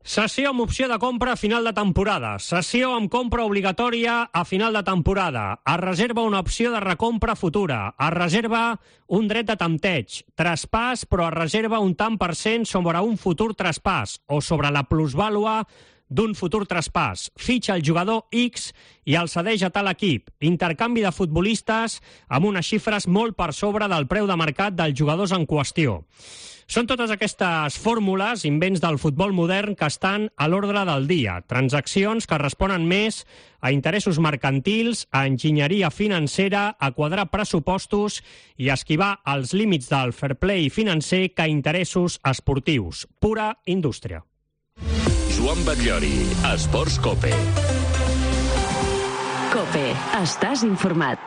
Sessió amb opció de compra a final de temporada. Sessió amb compra obligatòria a final de temporada. Es reserva una opció de recompra futura. Es reserva un dret de tempteig. Traspàs, però es reserva un tant per cent sobre un futur traspàs o sobre la plusvàlua d'un futur traspàs. Fitxa el jugador X i el cedeix a tal equip. Intercanvi de futbolistes amb unes xifres molt per sobre del preu de mercat dels jugadors en qüestió. Són totes aquestes fórmules, invents del futbol modern, que estan a l'ordre del dia. Transaccions que responen més a interessos mercantils, a enginyeria financera, a quadrar pressupostos i a esquivar els límits del fair play financer que a interessos esportius. Pura indústria. Joan Batllori, Esports COPE. COPE, estàs informat.